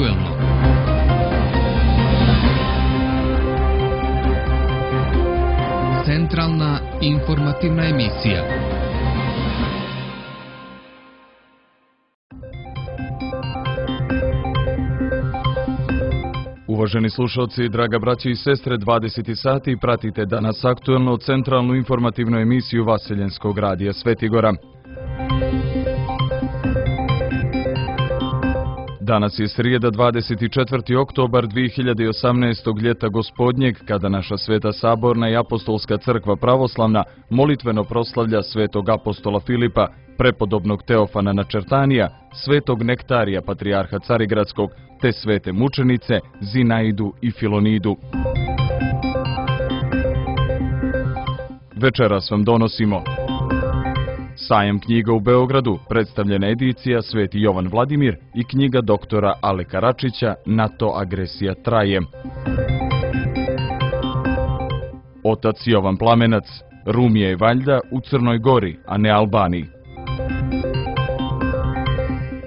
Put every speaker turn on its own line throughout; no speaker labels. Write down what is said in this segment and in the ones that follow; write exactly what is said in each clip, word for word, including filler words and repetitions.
aktuelno. Centralna informativna emisija.
Uvaženi slušalci, draga braćo i sestre, dvadeset sati pratite danas aktuelno centralnu informativnu emisiju Vaseljenskog radija Svetigora. Danas je srijeda dvadeset četvrti oktobar dvije hiljade osamnaestog ljeta gospodnjeg, kada naša Sveta Saborna i Apostolska crkva pravoslavna molitveno proslavlja svetog apostola Filipa, prepodobnog Teofana Načertanija, svetog Nektarija, patrijarha Carigradskog, te svete mučenice Zinaidu i Filonidu. Večeras vam donosimo Sajam knjiga u Beogradu, predstavljena edicija Sveti Jovan Vladimir i knjiga doktora Aleka Račića NATO agresija traje. Otac Jovan Plamenac, Rumija i valjda u Crnoj Gori, a ne Albaniji.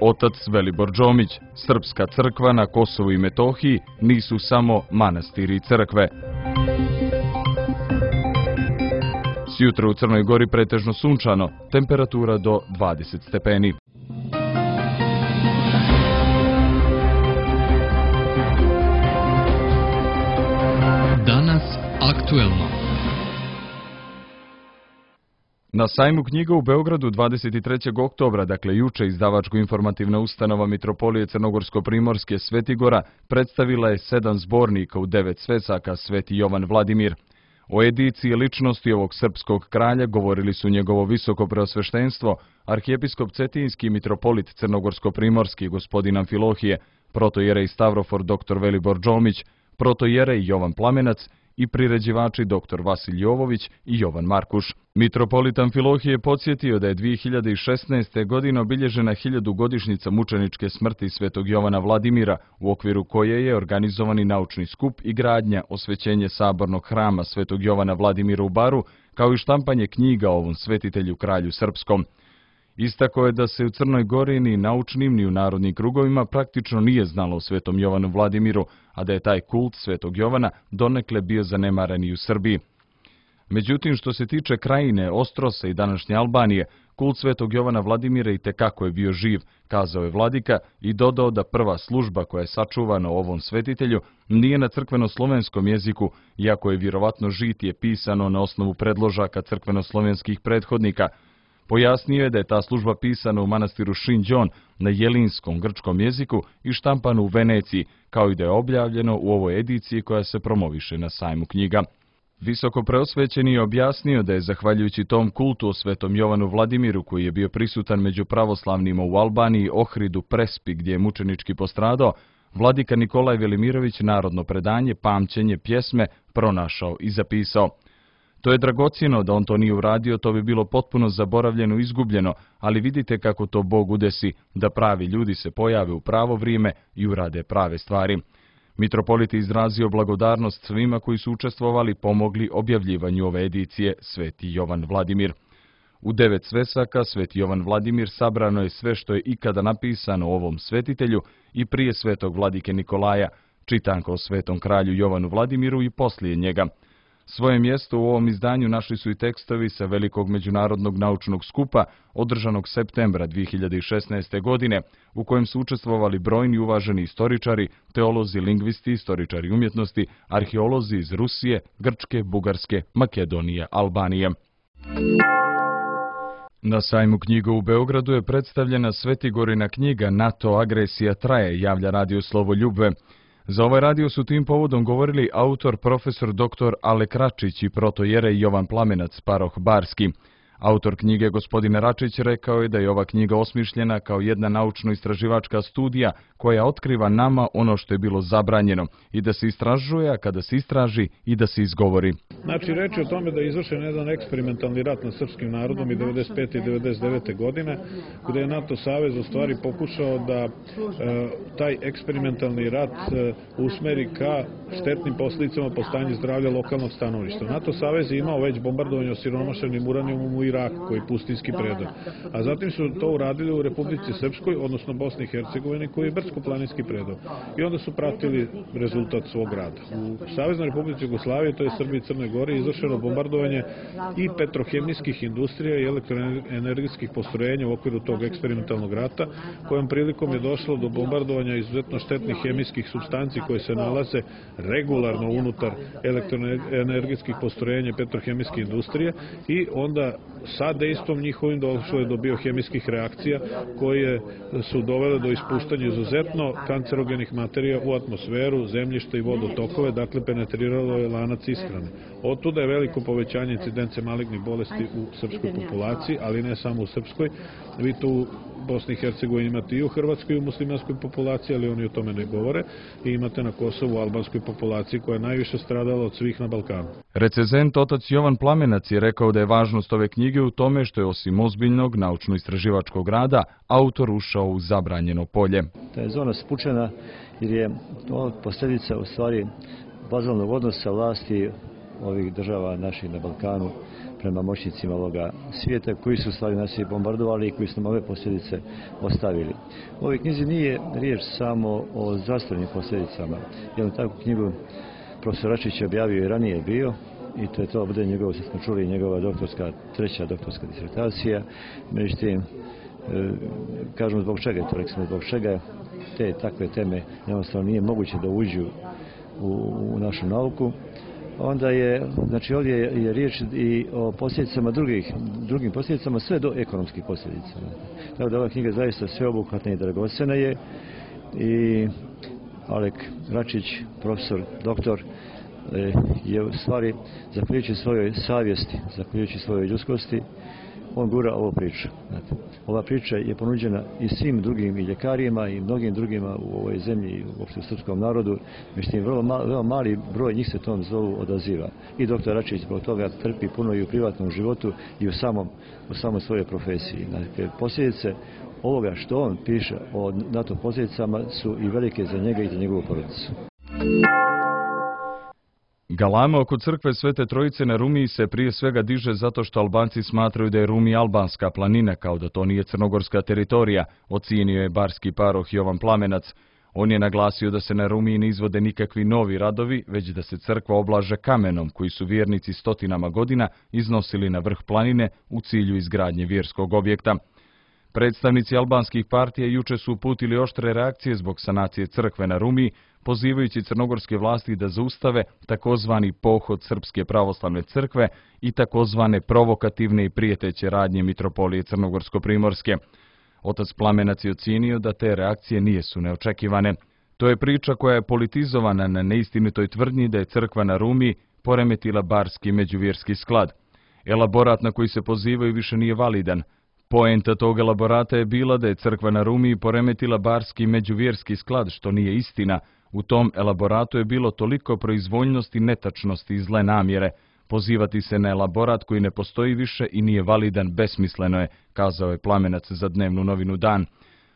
Otac Velibor Džomić, Srpska crkva na Kosovu i Metohiji nisu samo manastiri i crkve. Sjutra u Crnoj Gori pretežno sunčano, temperatura do dvadeset stepeni.
Danas aktuelno.
Na sajmu knjiga u Beogradu dvadeset trećeg oktobra, dakle juče, izdavačko-informativna ustanova Mitropolije Crnogorsko-Primorske Svetigora predstavila je sedam zbornika u devet svesaka Sveti Jovan Vladimir. O ediciji ličnosti ovog srpskog kralja govorili su njegovo visoko preosveštenstvo, arhijepiskop Cetinjski mitropolit Crnogorsko-Primorski gospodin Amfilohije, protojerej Stavrofor dr Velibor Džomić, protojerej Jovan Plamenac i priređivači dr Vasilj Jovović i Jovan Markuš. Mitropolit Amfilohije podsjetio da je dvije hiljade šesnaeste. godine obilježena hiljadugodišnjica mučeničke smrti svetog Jovana Vladimira, u okviru koje je organizovani naučni skup i gradnja osvećenje sabornog hrama svetog Jovana Vladimira u Baru, kao i štampanje knjiga o ovom svetitelju kralju srpskom. Istako je da se u Crnoj Gori ni naučnim ni u narodnim krugovima praktično nije znalo o svetom Jovanu Vladimiru, a da je taj kult svetog Jovana donekle bio zanemaren i u Srbiji. Međutim, što se tiče krajine, Ostrosa i današnje Albanije, kult svetog Jovana Vladimira i tekako je bio živ, kazao je vladika i dodao da prva služba koja je sačuvana o ovom svetitelju nije na crkveno-slovenskom jeziku, iako je vjerovatno žitije pisano na osnovu predložaka crkveno-slovenskih prethodnika. Pojasnio je da je ta služba pisana u manastiru Šinđon na jelinskom grčkom jeziku i štampano u Veneciji, kao i da je objavljeno u ovoj ediciji koja se promoviše na sajmu knjiga. Visoko preosvećeni je objasnio da je zahvaljujući tom kultu o svetom Jovanu Vladimiru, koji je bio prisutan među pravoslavnima u Albaniji, Ohridu, Prespi, gdje je mučenički postradao, vladika Nikolaj Velimirović narodno predanje, pamćenje, pjesme pronašao i zapisao. To je dragocjeno, da on to nije uradio, to bi bilo potpuno zaboravljeno i izgubljeno, ali vidite kako to Bog udesi, da pravi ljudi se pojave u pravo vrijeme i urade prave stvari. Mitropolit je izrazio blagodarnost svima koji su učestvovali, pomogli objavljivanju ove edicije Sveti Jovan Vladimir. U devet svesaka Sveti Jovan Vladimir sabrano je sve što je ikada napisano o ovom svetitelju i prije svetog vladike Nikolaja, čitanko o svetom kralju Jovanu Vladimiru i poslije njega. Svoje mjesto u ovom izdanju našli su i tekstovi sa velikog međunarodnog naučnog skupa održanog septembra dvije hiljade šesnaeste. godine, u kojem su učestvovali brojni uvaženi istoričari, teolozi, lingvisti, istoričari umjetnosti, arheolozi iz Rusije, Grčke, Bugarske, Makedonije, Albanije. Na sajmu knjiga u Beogradu je predstavljena Svetigorina knjiga NATO agresija traje, javlja radio Slovo Ljubve. Za ovaj radio su tim povodom govorili autor profesor dr Alek Račić i protojerej Jovan Plamenac, paroh Barski. Autor knjige gospodin Račić rekao je da je ova knjiga osmišljena kao jedna naučno-istraživačka studija koja otkriva nama ono što je bilo zabranjeno i da se istražuje, a kada se istraži i da se izgovori.
Znači, reč je o tome da je izvršen jedan eksperimentalni rat nad srpskim narodom i devedeset pete i devedeset devete. godine, gde je NATO savez u stvari pokušao da e, taj eksperimentalni rat e, usmeri ka štetnim posljedicama po stanju zdravlja lokalnog stanovništva. NATO savez je imao već bombardovanje osiromašenim uranijumom u Irak, koji je pustinski predor. A zatim su to uradili u Republici Srpskoj, odnosno Bosni i Hercegovini, koji je brdsko-planinski predor. I onda su pratili rezultat svog rada. U Saveznoj Republici Jugoslavije, to je Srbiji i Crnoj Gori, izvršeno bombardovanje i petrohemijskih industrija i elektroenergetskih postrojenja u okviru tog eksperimentalnog rata, kojom prilikom je došlo do bombardovanja izuzetno štetnih hemijskih supstanci koje se nalaze regularno unutar elektroenergetskih postrojenja i petrohemijske industrije i onda sa dejstvom njihovim došlo je do biohemijskih reakcija koje su dovele do ispuštanja izuzetno kancerogenih materija u atmosferu, zemljište i vodotokove, dakle penetriralo je lanac ishrane. Otuda je veliko povećanje incidence malignih bolesti u srpskoj populaciji, ali ne samo u srpskoj. Vi to u Bosni i Hercegovini imate i u hrvatskoj i u muslimanskoj populaciji, ali oni o tome ne govore. I imate na Kosovu albanskoj populaciji koja je najviše stradala od svih na Balkanu.
Recenzent otac Jovan Plamenac je rekao da je važnost ove knjige u tome što je osim ozbiljnog naučno-istraživačkog rada, autor ušao u zabranjeno polje.
Ta je zona spučena jer je to posljedica u stvari bazalnog odnosa vlasti ovih država naših na Balkanu prema moćnicima ovoga svijeta koji su stvari nas i bombardovali i koji su nam ove posljedice ostavili. U ovoj knjizi nije riječ samo o zdravstvenim posljedicama. Jednu takvu knjigu profesor Račić objavio i ranije bio i to je to bude njegovo, što smo čuli, njegova doktorska, treća doktorska disertacija. Međutim, kažemo zbog čega je to, rekli zbog čega te takve teme jednostavno nije moguće da uđu u, u našu nauku. Onda je, znači ovdje je riječ i o posljedicama drugih, drugim posljedicama, sve do ekonomskih posljedica. Tako da ova knjiga zaista sveobuhvatna i dragocjena je i Alek Račić, profesor, doktor, je u stvari, zahvaljujući svojoj savjesti, zahvaljujući svojoj ljudskosti, on gura ovu priču. Ova priča je ponuđena i svim drugim i ljekarima i mnogim drugima u ovoj zemlji i uopšte u srpskom narodu. Međutim, vrlo, mal, vrlo mali broj njih se tom zovu odaziva. I doktor Račić zbog toga trpi puno i u privatnom životu i u samom, u samoj svojoj profesiji. Dakle, posljedice ovoga što on piše o NATO posljedicama su i velike za njega i za njegovu porodicu.
Galama oko crkve Svete Trojice na Rumiji se prije svega diže zato što Albanci smatraju da je Rumi albanska planina, kao da to nije crnogorska teritorija, ocijenio je barski paroh Jovan Plamenac. On je naglasio da se na Rumiji ne izvode nikakvi novi radovi, već da se crkva oblaže kamenom koji su vjernici stotinama godina iznosili na vrh planine u cilju izgradnje vjerskog objekta. Predstavnici albanskih partija juče su uputili oštre reakcije zbog sanacije crkve na Rumiji, pozivajući crnogorske vlasti da zaustave takozvani pohod Srpske pravoslavne crkve i takozvane provokativne i prijeteće radnje mitropolije Crnogorsko-primorske. Otac Plamenac je ocijenio da te reakcije nijesu neočekivane. To je priča koja je politizovana na neistinitoj tvrdnji da je crkva na Rumiji poremetila barski međuvjerski sklad. Elaborat na koji se pozivaju više nije validan. Poenta tog elaborata je bila da je crkva na Rumiji poremetila barski međuvjerski sklad, što nije istina. U tom elaboratu je bilo toliko proizvoljnosti, netačnosti i zle namjere. Pozivati se na elaborat koji ne postoji više i nije validan besmisleno je, kazao je Plamenac za dnevnu novinu Dan.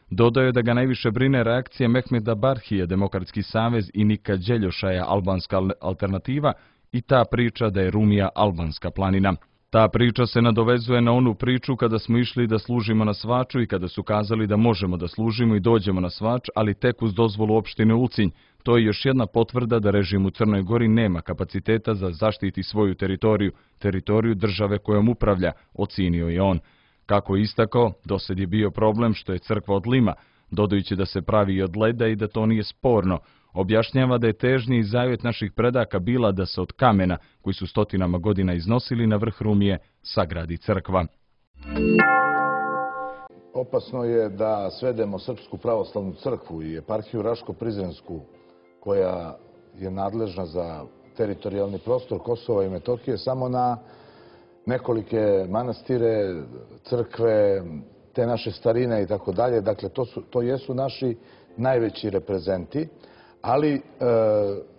Dodao je da ga najviše brine reakcija Mehmeda Barhije, Demokratski savez, i Nika Đeljošaja, albanska alternativa, i ta priča da je Rumija albanska planina. Ta priča se nadovezuje na onu priču kada smo išli da služimo na Svaču i kada su kazali da možemo da služimo i dođemo na Svač, ali tek uz dozvolu opštine Ulcinj. To je još jedna potvrda da režim u Crnoj Gori nema kapaciteta za zaštiti svoju teritoriju, teritoriju države kojom upravlja, ocijenio je on. Kako je istakao, dosad je bio problem što je crkva od lima, dodajući da se pravi i od leda i da to nije sporno. Objašnjava da je težnji i zavjet naših predaka bila da se od kamena, koji su stotinama godina iznosili na vrh Rumije, sagradi crkva.
Opasno je da svedemo Srpsku pravoslavnu crkvu i eparhiju Raško-Prizrensku, koja je nadležna za teritorijalni prostor Kosova i Metohije, samo na nekolike manastire, crkve, te naše starine i tako dalje. Dakle, to, su, to jesu naši najveći reprezenti, ali e,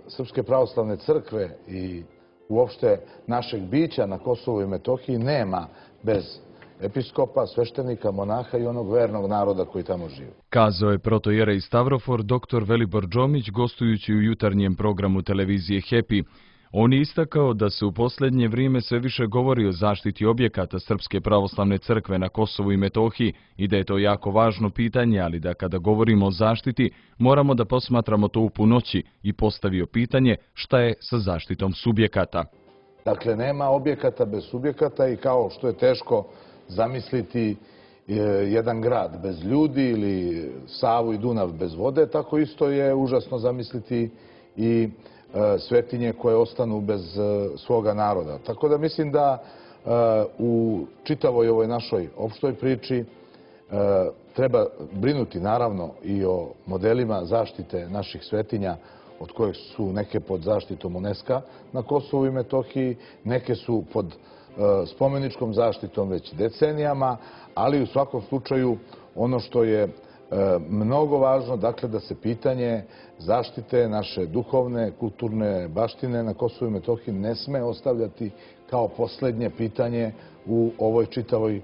Srpske pravoslavne crkve i uopšte našeg bića na Kosovu i Metohiji nema bez episkopa, sveštenika, monaha i onog vernog naroda koji tamo živi.
Kazao je protojerej Stavrofor doktor Velibor Džomić gostujući u jutarnjem programu televizije Happy. On je istakao da se u posljednje vrijeme sve više govori o zaštiti objekata Srpske pravoslavne crkve na Kosovu i Metohiji i da je to jako važno pitanje, ali da kada govorimo o zaštiti moramo da posmatramo to u punoći i postavio pitanje šta je sa zaštitom subjekata.
Dakle, nema objekata bez subjekata i kao što je teško zamisliti jedan grad bez ljudi ili Savu i Dunav bez vode, tako isto je užasno zamisliti i svetinje koje ostanu bez svoga naroda. Tako da mislim da u čitavoj ovoj našoj opštoj priči treba brinuti naravno i o modelima zaštite naših svetinja, od kojih su neke pod zaštitom UNESCO na Kosovu i Metohiji, neke su pod spomeničkom zaštitom već decenijama, ali u svakom slučaju ono što je mnogo važno, dakle da se pitanje zaštite naše duhovne, kulturne baštine na Kosovu i Metohiji ne sme ostavljati kao posljednje pitanje u ovoj čitavoj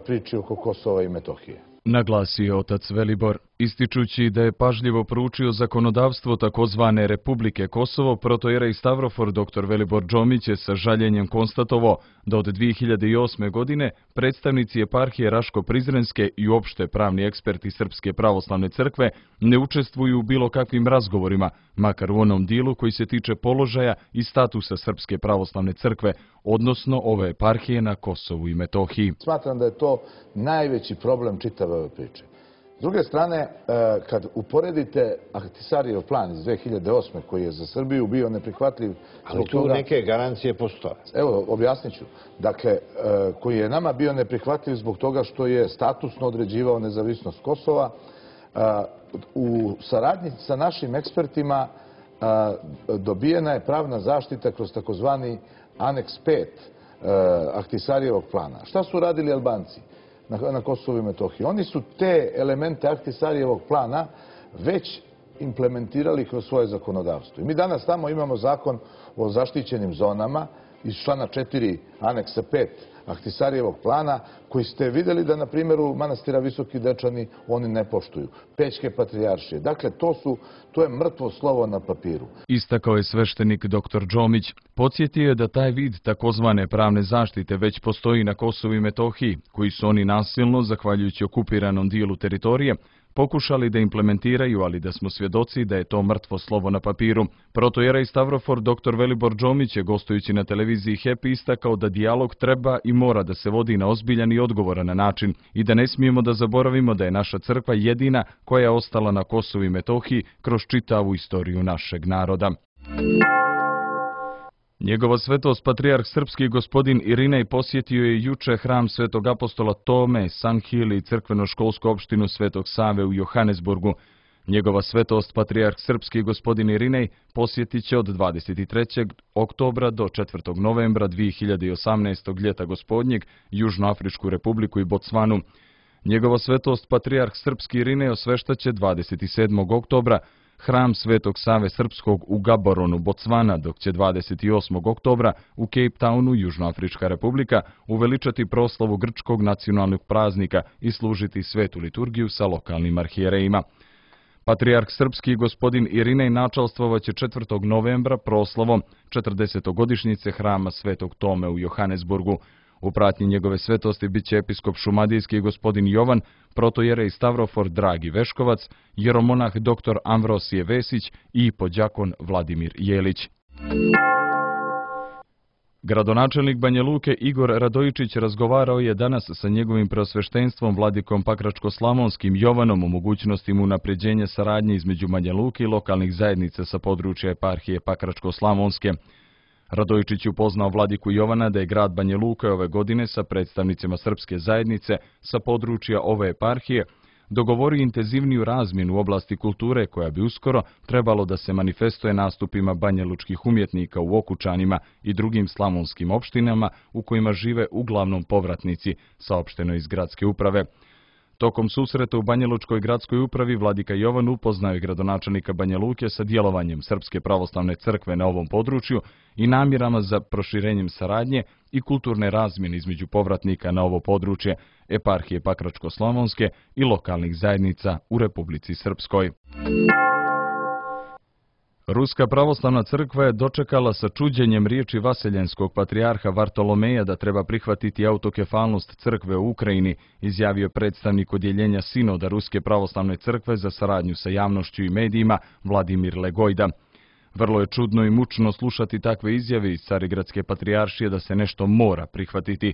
priči oko Kosova i Metohije.
Naglasio je otac Velibor, ističući da je pažljivo proučio zakonodavstvo takozvane Republike Kosovo, protojerej Stavrofor dr Velibor Džomić je sa žaljenjem konstatovao da od dvije hiljade osme. godine predstavnici eparhije Raško-Prizrenske i uopšte pravni eksperti Srpske pravoslavne crkve ne učestvuju u bilo kakvim razgovorima, makar u onom dijelu koji se tiče položaja i statusa Srpske pravoslavne crkve, odnosno ove eparhije na Kosovu i Metohiji.
Smatram da je to najveći problem čitave ove priče. S druge strane, kad uporedite Ahtisarijev plan iz dvije hiljade osme. koji je za Srbiju bio neprihvatljiv...
Ali tu neke garancije postoje.
Evo, objasnit ću. Dakle, koji je nama bio neprihvatljiv zbog toga što je statusno određivao nezavisnost Kosova, u saradnji sa našim ekspertima dobijena je pravna zaštita kroz takozvani aneks pet Ahtisarijevog plana. Šta su radili Albanci na Kosovu i Metohiji? Oni su te elemente Ahtisarijevog plana već implementirali kroz svoje zakonodavstvo. I mi danas tamo imamo zakon o zaštićenim zonama iz člana četiri aneksa pet Ahtisarijevog plana, koji ste vidjeli da na primjeru manastira Visoki Dečani oni ne poštuju. Pećke patrijaršije. Dakle, to, su, to je mrtvo slovo na papiru.
Istakao je sveštenik dr Džomić. Podsjetio je da taj vid takozvane pravne zaštite već postoji na Kosovu i Metohiji, koji su oni nasilno, zahvaljujući okupiranom dijelu teritorije, pokušali da implementiraju, ali da smo svjedoci da je to mrtvo slovo na papiru. Protojerej Stavrofor dr Velibor Džomić je, gostujući na televiziji Happy, istakao da dijalog treba i mora da se vodi na ozbiljan i odgovoran način i da ne smijemo da zaboravimo da je naša crkva jedina koja je ostala na Kosovu i Metohiji kroz čitavu istoriju našeg naroda. Njegova svetost patrijarh srpski gospodin Irinej posjetio je juče hram svetog apostola Tome, Sanhili i crkveno-školsku opštinu Svetog Save u Johannesburgu. Njegova svetost patrijarh srpski gospodin Irinej posjetit će od dvadeset trećeg oktobra do četvrtog novembra dvije hiljade osamnaeste. ljeta gospodnjeg Južnoafričku republiku i Botsvanu. Njegova svetost patrijarh srpski Irinej osveštaće dvadeset sedmog oktobra hram Svetog Save Srpskog u Gaboronu, Botsvana, dok će dvadeset osmog oktobra u Cape Townu, Južnoafrička republika, uveličati proslavu grčkog nacionalnog praznika i služiti svetu liturgiju sa lokalnim arhijerejima. Patrijarh srpski gospodin Irinej načalstvovaće četvrtog novembra proslavom četrdesetogodišnjice hrama Svetog Tome u Johannesburgu. U pratnji njegove svetosti bit će episkop šumadijski gospodin Jovan, protojerej Stavrofor Dragi Veškovac, jeromonah dr Amvrosije Vesić i podjakon Vladimir Jelić. Gradonačelnik Banja Luke Igor Radojičić razgovarao je danas sa njegovim preosveštenstvom vladikom Pakračko-Slavonskim Jovanom o mogućnostima unapređenja saradnje između Banja Luke i lokalnih zajednica sa područja eparhije Pakračko-Slavonske. Radojičić upoznao vladiku Jovana da je grad Banja Luka ove godine sa predstavnicima srpske zajednice sa područja ove eparhije dogovorio intenzivniju razmjenu u oblasti kulture koja bi uskoro trebalo da se manifestuje nastupima banjalučkih umjetnika u Okučanima i drugim slavonskim opštinama u kojima žive uglavnom povratnici, saopšteno iz gradske uprave. Tokom susreta u Banjalučkoj gradskoj upravi vladika Jovan upoznao je gradonačelnika Banja Luke sa djelovanjem Srpske pravoslavne crkve na ovom području i namjerama za proširenjem saradnje i kulturne razmjene između povratnika na ovo područje, eparhije Pakračko-Slavonske i lokalnih zajednica u Republici Srpskoj. Ruska pravoslavna crkva je dočekala sa čuđenjem riječi vaseljenskog patrijarha Vartolomeja da treba prihvatiti autokefalnost crkve u Ukrajini, izjavio predstavnik odjeljenja Sinoda Ruske pravoslavne crkve za saradnju sa javnošću i medijima Vladimir Legojda. Vrlo je čudno i mučno slušati takve izjave iz Carigradske patrijaršije da se nešto mora prihvatiti.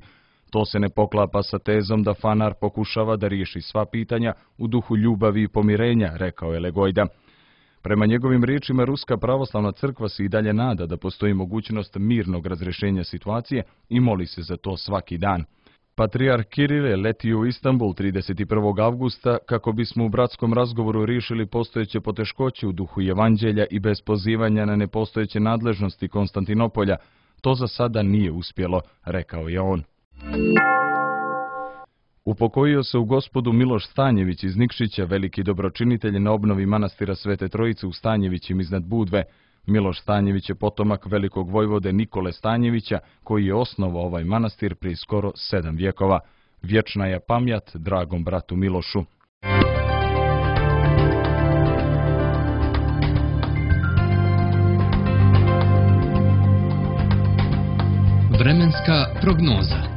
To se ne poklapa sa tezom da Fanar pokušava da riješi sva pitanja u duhu ljubavi i pomirenja, rekao je Legojda. Prema njegovim riječima, Ruska pravoslavna crkva se i dalje nada da postoji mogućnost mirnog razrješenja situacije i moli se za to svaki dan. Patrijarh Kiril je letio u Istanbul trideset prvog avgusta kako bismo u bratskom razgovoru riješili postojeće poteškoće u duhu evanđelja i bez pozivanja na nepostojeće nadležnosti Konstantinopolja. To za sada nije uspjelo, rekao je on. Upokojio se u Gospodu Miloš Stanjević iz Nikšića, veliki dobročinitelj na obnovi manastira Svete Trojice u Stanjevićima iznad Budve. Miloš Stanjević je potomak velikog vojvode Nikole Stanjevića, koji je osnovao ovaj manastir prije skoro sedam vjekova. Vječna je pamjat dragom bratu Milošu.
Vremenska prognoza.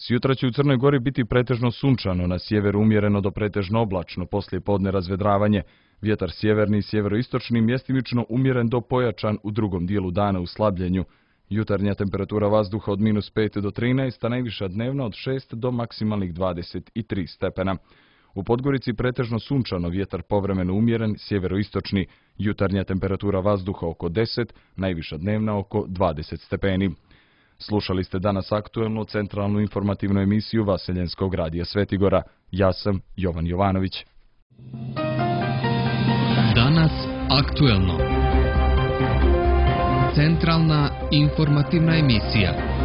Sjutra će u Crnoj Gori biti pretežno sunčano, na sjeveru umjereno do pretežno oblačno, poslije podne razvedravanje. Vjetar sjeverni i sjeveroistočni mjestimično umjeren do pojačan u drugom dijelu dana u slabljenju. Jutarnja temperatura vazduha od minus pet do trinaest, a najviša dnevna od šest do maksimalnih dvadeset tri stepena. U Podgorici pretežno sunčano, vjetar povremeno umjeren, sjeveroistočni, jutarnja temperatura vazduha oko deset, najviša dnevna oko dvadeset stepeni. Slušali ste danas aktuelnu centralnu informativnu emisiju Vaseljenskog radija Svetigora. Ja sam Jovan Jovanović.
Danas aktuelno. Centralna informativna emisija.